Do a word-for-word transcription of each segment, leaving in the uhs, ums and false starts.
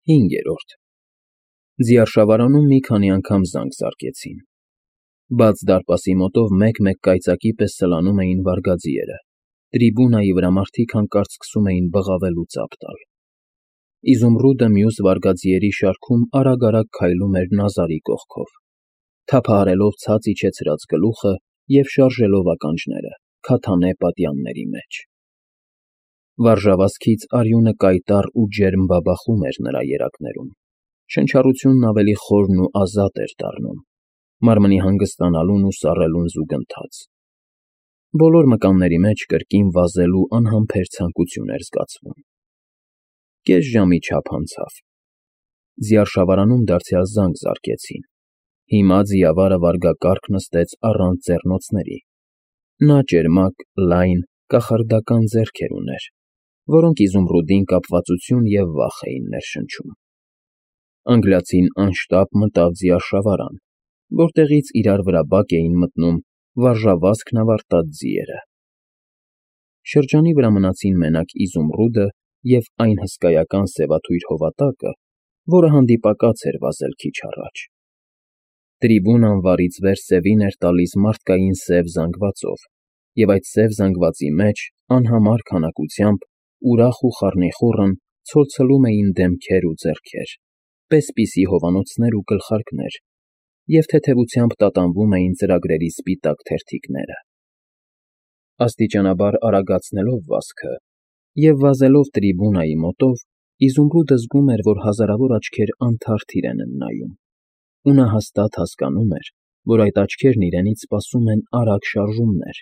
Հինգերորդ Ձիարշավարանում մի քանի անգամ զանգ զարկեցին, բաց դարպասի մոտով մեկ֊մեկ կայծակի պես սլանում էին վարգաձիերը, տրիբունայի վրա մարդիկ հանկարծ սկսում էին բղավել ու ծափ տալ։ Իզումրուդը մյուս վարգաձիերի շարքում արագ֊արագ քայլում էր Նազարի կողքով, թափահարելով ցած իջեցրած գլուխը և շարժելով ականջները քաթանե պատյանների մեջ։ Վարժավազքից արյունը կայտառ ու ջերմ բաբախում էր նրա երակներում, շնչառությունն ավելի խորն ու ազատ էր դառնում, մարմնի հանգստանալուն ու սառելուն զուգընթաց։ Բոլոր մկանների մեջ կրկին վազելու անհամբեր ցանկություն էր զգացվում։ Կես ժամի չափ անցավ։ Ձիարշավարանում դարձյալ զանգ զարկեցին։ Հիմա ձիավարը վարգակարգ նստեց առանց ձեռնոցների։ Նա ճերմակ, լայն, կախարդական ձեռքեր ուներ, որոնք Իզումրուդին կապվածություն և վախ էին ներշնչում։ Անգլիացին անշտապ մտավ ձիարշավարան, որտեղից իրար վրա բակ էին մտնում վարժավազքն ավարտած ձիերը։ Շրջանի վրա մնացին մենակ Իզումրուդը և այն հսկայական սևաթույր հովատակը, որը հանդիպակաց էր վազել քիչ առաջ։ Տրիբունան վարից վեր սևին էր տալիս մարդկային սև զանգվածով, և այդ սև զանգվածի մեջ անհամար քանակությամբ, ուրախ ու խառնիխուռն ցոլցլում էին դեմքեր ու ձեռքեր, պես֊պիսի հովանոցներ ու գլխարկներ, և թեթևությամբ տատանվում էին ծրագրերի սպիտակ թերթիկները։ Աստիճանաբար արագացնելով վազքը և վազելով տրիբունայի մոտով, Իզումրուդը զգում էր, որ հազարավոր աչքեր անթարթ իրեն են նայում, ու նա հաստատ հասկանում էր, որ այդ աչքերն իրենից սպասում են արագ շարժումներ,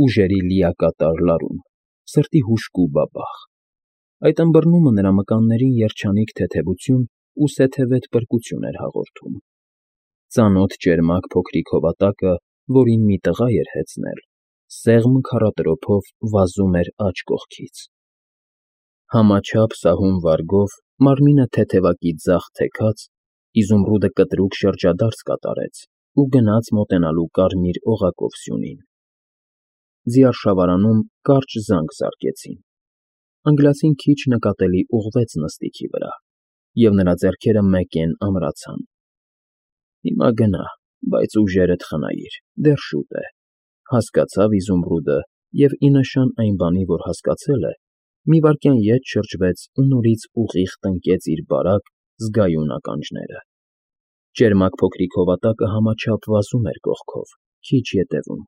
ուժերի լիակատար լարում, սրտի հուժկ ու բաբախ։ Այդ ըմբռնումը նրա մկաններին երջանիկ թեթևություն ու սեթևետ պրկություն էր հաղորդում։ Ծանոթ ճերմակ փոքրիկ հովատակը, որին մի տղա էր հեծնել, սեղմ քառատրոփով վազում էր աջ կողքից։ Համաչափ սահուն վարգով, մարմինը թեթևակի ձախ թեքած, Իզումրուդը կտրուկ շրջադարձ կատարեց ու գնաց մոտենալու կարմիր օղակով սյունին։ Ձիարշավարանում կարճ զանգ զարկեցին։ Անգլիացին քիչ նկատելի ուղղվեց նստիքի վրա, և նրա ձեռքերը մեկեն ամրացան։ Հիմա գնա, բայց ուժերդ խնայիր, դեռ շուտ է, հասկացավ Իզումրուդը և, ի նշան այն բանի, որ հասկացել է, մի վայրկյան ետ շրջվեց ու նորից ուղիղ տնկեց իր բարակ, զգայուն ականջները։ Ճերմակ փոքրիկ հովատակը համաչափ վազում էր կողքով, քիչ ետևում։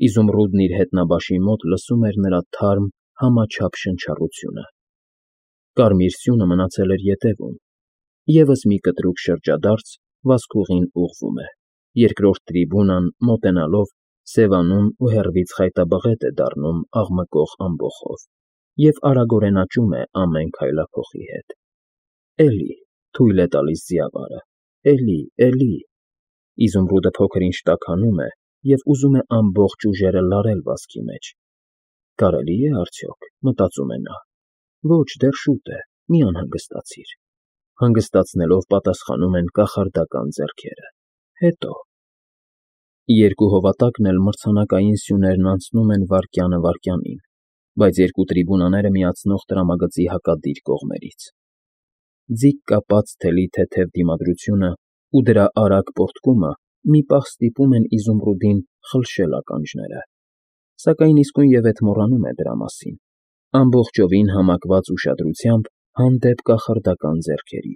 Իզումրուդն իր հետնաբաշի մոտ լսում էր նրա թարմ, համաչափ շնչառությունը։ Կարմիր սյունը մնացել էր ետևում։ Եվս մի կտրուկ շրջադարձ, վազքուղին ուղղվում է, երկրորդ տրիբունան, մոտենալով, սևանում ու հեռվից խայտաբղետ է դառնում աղմկող ամբոխով և արագորեն աճում է ամեն քայլափոխի հետ։ Էլի, թույլ է տալիս ձիավարը, էլի, էլի… Իզումրուդը փոքր-ինչ տաքանում է և ուզում է ամբողջ ուժերը լարել վազքի մեջ։ Կարելի՞ է արդյոք, մտածում է նա։ Ոչ, դեռ շուտ է, մի անհանգստացիր… Հանգստացնելով պատասխանում են կախարդական ձեռքերը։ Հետո… Երկու հովատակն էլ մրցանակային սյուներն անցնում են վայրկյանը վայրկյանին, բայց երկու տրիբունաները միացնող տրամագծի հակադիր կողմերից։ Ձիգ կապած թելի թեթև դիմադրությունը ու դրա արագ պոռթկումը մի պահ ստիպում են Իզումրուդին խլշել ականջները, սակայն իսկույն ետ մոռանում է դրա մասին, ամբողջովին համակված ուշադրությամբ հանդեպ կախարդական ձեռքերի։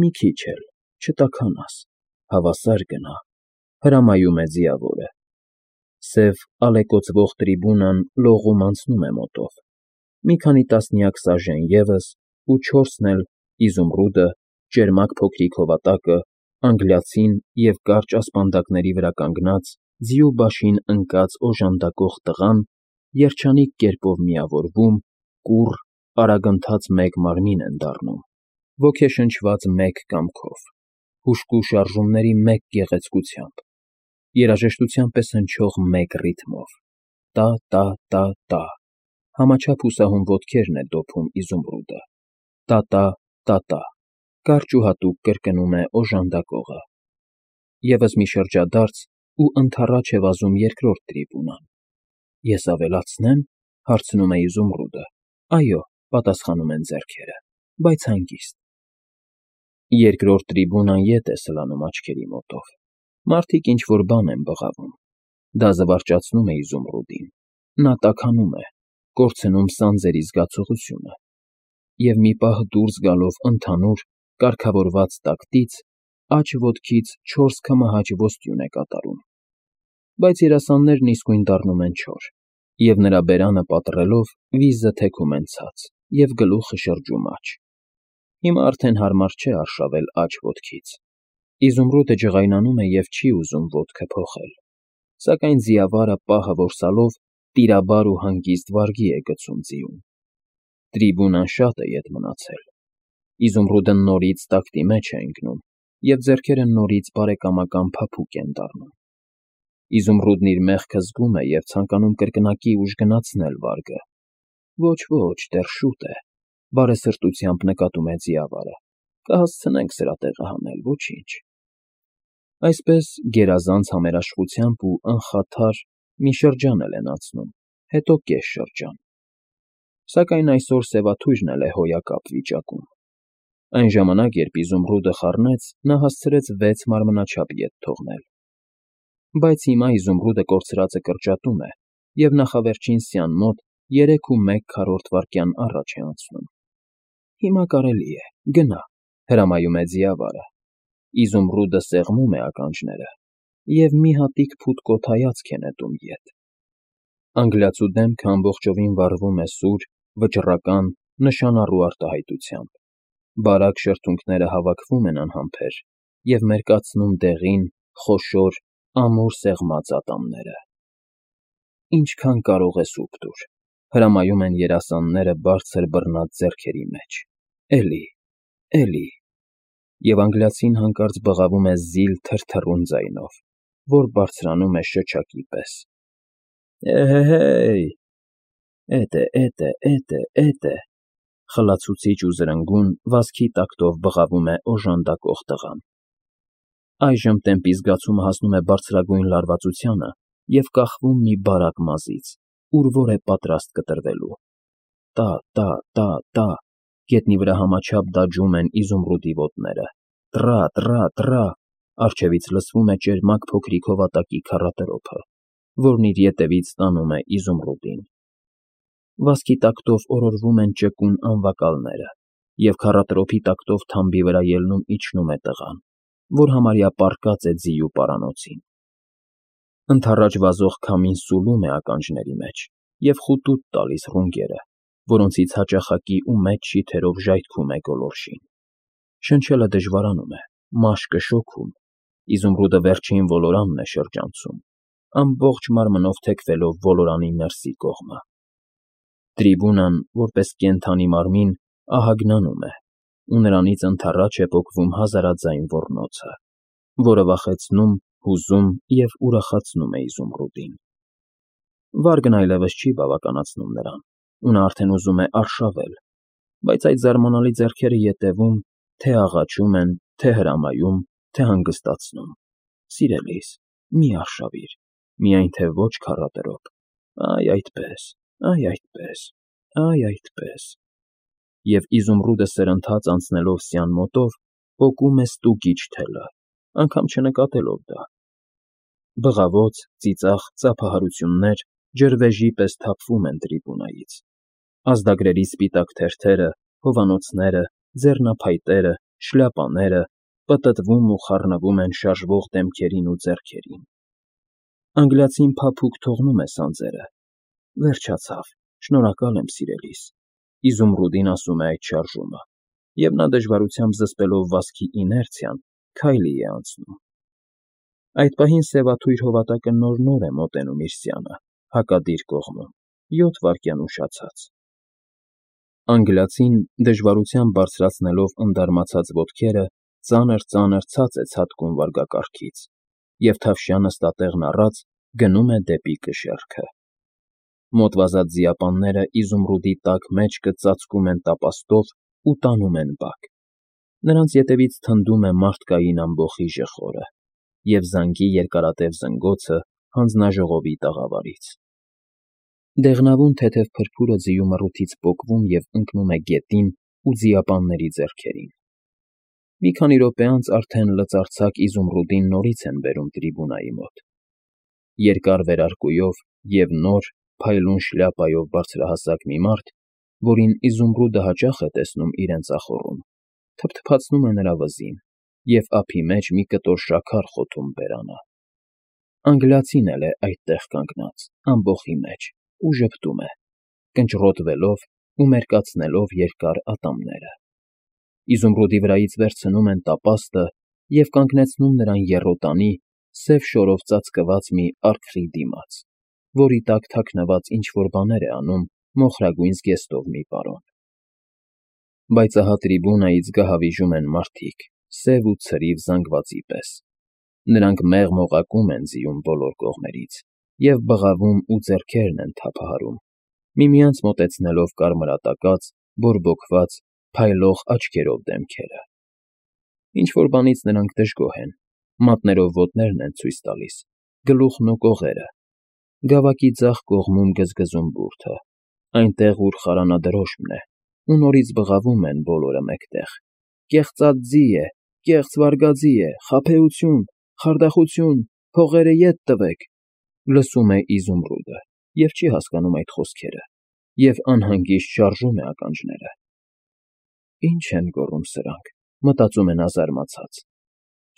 Մի քիչ էլ, չտաքանաս, հավասար գնա, հրամայում է ձիավորը։ Սև ալեկոծվող տրիբունան լողում անցնում է մոտով։ Մի քանի տասնյակ սաժեն ևս, ու չորսն էլ՝ Իզումրուդը, ճերմակ փոքրիկ հովատակը, անգլիացին և կարճ ասպանդակների վրա կանգնած, ձիու բաշին ընկած օժանդակող տղան, երջանիկ կերպով միավորվում, կուռ, արագընթաց մեկ մարմին են դառնում, ոգեշնչված մեկ կամքով, հուժկու շարժումների մեկ գեղեցկությամբ, երաժշտության պես հնչող մեկ ռիթմով՝ տա՛֊տա՛֊տա՛֊տա՛, համաչափ հուսահուն ոտքերն է դոփում Իզումրուդը, տա՛֊տա՛֊տա՛֊տա՛, կարճ ու հատուկ կրկնում է օժանդակողը։ Եվս մի շրջադարձ, ու ընդառաջ է վազում երկրորդ տրիբունան։ Ես ավելացնե՞մ, հարցնում է Իզումրուդը։ Այո, պատասխանում են ձեռքերը, բայց հանգիստ։ Երկրորդ տրիբունան ետ է սլանում աչքերի մոտով, մարդիկ ինչ֊որ բան են բղավում, դա զվարճացնում է Իզումրուդին, նա տաքանում է, կորցնում սանձերի զգացողությունը, և մի պահ դուրս գալով ընդհանուր, կարգավորված տակտից, աջ ոտքից չորս քմահաճ ոսկյուն է կատարում, բայց երասաններն իսկույն դառնում են չոր, և նրա բերանը պատռելով վիզը թեքում են ցած և գլուխը շրջում աջ, հիմա արդեն հարմար չէ արշավել աջ ոտքից, Իզումրուդը ջղայնանում է և չի ուզում ոտքը փոխել, սակայն ձիավարը պահը որսալով տիրաբար ու հանգիստ վարգի է գցում ձիուն, տրիբունան շատ է ետ մնացել, Իզումրուդը նորից տակտի մեջ է ընկնում և ձեռքերը նորից բարեկամական փափուկ են դառնում, Իզումրուդն իր մեղքը զգում է և ցանկանում կրկնակի ուժգնացնել վարգը, ոչ, ոչ, դեռ շուտ է, բարեսրտությամբ նկատում է ձիավարը, կհասցնենք սրա տեղը հանել, ոչինչ, այսպես գերազանց համերաշխությամբ ու անխաթար մի շրջան էլ են անցնում, հետո կես շրջան, սակայն այսօր սևաթույրն էլ է հոյակապ վիճակում, այն ժամանակ, երբ Իզումրուդը խառնեց, նա հասցրեց վեց մարմնաչափ ետ թողնել, բայց հիմա Իզումրուդը կորցրածը կրճատում է և նախավերջին սյան մոտ երեք ու մեկ քառորդ վայրկյան առաջ է անցնում, հիմա կարելի է, գնա, հրամայում է ձիավարը, Իզումրուդը սեղմում է ականջները և մի հատիկ փութկոտ հայացք է նետում ետ, անգլիացու դեմքը ամբողջովին վառվում է սուր, վճռական, նշանառու արտահայտությամբ, բարակ շրթունքները հավաքվում են անհամբեր և մերկացնում դեղին, խոշոր, ամուր սեղմած ատամները։ Ինչքան կարող ես ուպ տուր, հրամայում են երասանները բարձր բռնած ձեռքերի մեջ, էլի, էլի, և անգլիացին հանկարծ բղավում է զիլ թրթռուն ձայնով, որ բարձրանում է շչակի պես. Է֊հե֊հե՜յ, էդ է, էդ է, էդ է, էդ է, խլացուցիչ ու զրնգուն վազքի տակտով բղավում է օժանդակող տղան, այժմ տեմպի զգացումը հասնում է բարձրագույն լարվածությանը և կախվում մի բարակ մազից, ուր որ է պատրաստ կտրվելու, տա, տա, տա, տա, գետնի վրա համաչափ դաջում են Իզումրուդի ոտները, տռա, տռա, տռա, առջևից լսվում է ճերմակ փոքրիկ հովատակի քառատրոփը, որն իր ետևից տանում է Իզումրուդին, վազքի տակտով օրորվում են ճկուն անվակալները, և քառատրոփի տակտով թամբի վրա ելնում֊իջնում է տղան, որ համարյա պառկած է ձիու պարանոցին, ընդառաջ վազող քամին սուլում է ականջների մեջ և խուտուտ տալիս ռունգերը, որոնցից հաճախակի ու մեծ շիթերով ժայթքում է գոլորշին, շնչելը դժվարանում է, մաշկը շոգում, Իզումրուդը վերջին ոլորանն է շրջանցում, ամբողջ մարմնով թեքվելով ոլորանի ներսի կողմը, տրիբունան, որպես կենդանի մարմին, ահագնանում է, ու նրանից ընդառաջ է պոկվում հազարաձայն ոռնոցը, որը վախեցնում, հուզում և ուրախացնում է Իզումրուդին, վարգն այլևս չի բավականացնում նրան, ու նա արդեն ուզում է արշավել, բայց այդ զարմանալի ձեռքերը ետևում, թե աղաչում են, թե հրամայում, թե հանգստացնում, սիրելիս, մի արշավիր, միայն թե ոչ քառատրոփ, այ այդպես, այ այդպես, այ այդպես, և Իզումրուդը սրընթաց անցնելով սյան մոտով, պոկում է ստուկիչ թելը, անգամ չնկատելով դա, բղավոց, ծիծաղ ծափահարություններ ջրվեժի պես թափվում են տրիբունայից, ազդագրերի սպիտակ թերթերը, հովանոցները, ձեռնափայտերը, շլյապաները պտտվում ու խառնվում են շարժվող դեմքերին ու ձեռքերին, անգլիացին փափուկ թողնում է սանձերը, վերջացավ, շնորհակալ եմ, սիրելիս, Իզումրուդին ասում է այդ շարժումը, և նա դժվարությամբ զսպելով վազքի իներցիան, քայլի է անցնում, այդ պահին սևաթույր հովատակը նոր֊նոր է մոտենում իր սյանը, հակադիր կողմում, յոթ վայրկյան ուշացած, անգլիացին, դժվարությամբ բարձրացնելով ընդարմացած ոտքերը, ծանր֊ծանր ցած է ցատկում վարգակառքից և թավշյա նստատեղն առած գնում է դեպի կշեռքը, մոտ վազած ձիապանները Իզումրուդի տաք մեջքը ծածկում են տապաստով ու տանում են բակ, նրանց ետևից թնդում է մարդկային ամբոխի ժխորը և զանգի երկարատև զնգոցը հանձնաժողովի տաղավարից, դեղնավուն թեթև փրփուրը ձիու մռութից պոկվում և ընկնում է գետին ու ձիապանների ձեռքերին, Մի քանի րոպե անց արդեն լծարձակ իզումրուդին նորից են բերում տրիբունայի մոտ, երկար վերարկուով և նոր, փայլուն շլյապայով բարձրահասակ մի մարդ, որին Իզումրուդը հաճախ է տեսնում իրեն ծախողում, թփթփացնում է նրա վզին և ափի մեջ մի կտոր շաքար խոթում բերանը. անգլիացին էլ է այդտեղ կանգնած, ամբոխի մեջ, ու ժպտում է, կնճռոտվելով ու մերկացնելով երկար ատամները. Իզումրուդի վրայից վերցնում են տապաստը և կանգնեցնում նրան եռոտանի, սև շորով ծածկված մի արկղի դիմաց, որի տակ թաքնված ինչ֊որ բաներ է անում մոխրագույն զգեստով մի պարոն. Բայց ահա տրիբունայից գահավիժում են մարդիկ, սև ու ցրիվ զանգվածի պես. նրանք մեղմ օղակում են ձիում բոլոր կողմերից և բղավում ու ձեռքերն են թափահարում, միմյանց մոտեցնելով կարմրատակած, բորբոքված, փայլող աչքերով դեմքերը. ինչ֊որ բանից նրանք դժգոհ են, մատներով ոտներն են ցույց տալիս, գլուխն ու կողերը, գավակի ձախ կողմում գզգզում բուրդը, այնտեղ, ուր խարանադրոշմն է, ու նորից բղավում են բոլորը մեկտեղ. «Կեղծած ձի է, կեղծ վարգadzի է, խաբեություն, խարդախություն, փողերը ետ տվեք», լսում է Իզումրուդը և չի հասկանում այդ խոսքերը և անհանգիստ շարժում է ականջները։ «Ի՞նչ են գոռում սրանք», մտածում է նա զարմացած,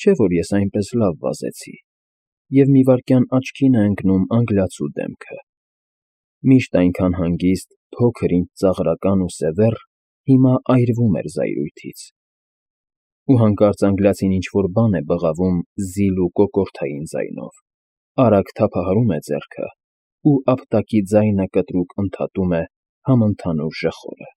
«չէ՞ որ ես այնպես լավ վազեցի», և մի վայրկյան աչքին է ընկնում անգլիացու դեմքը, միշտ այնքան հանգիստ, փոքր ինչ ծաղրական ու սևեռ, հիմա այրվում էր զայրույթից։ Ու հանկարծ անգլիացին ինչ֊որ բան է բղավում զիլ ու կոկորդային ձայնով, արագ թափահարում է ձեռքը, ու ապտակի ձայնը կտրուկ ընդհատում է համընդհանուր ժխորը։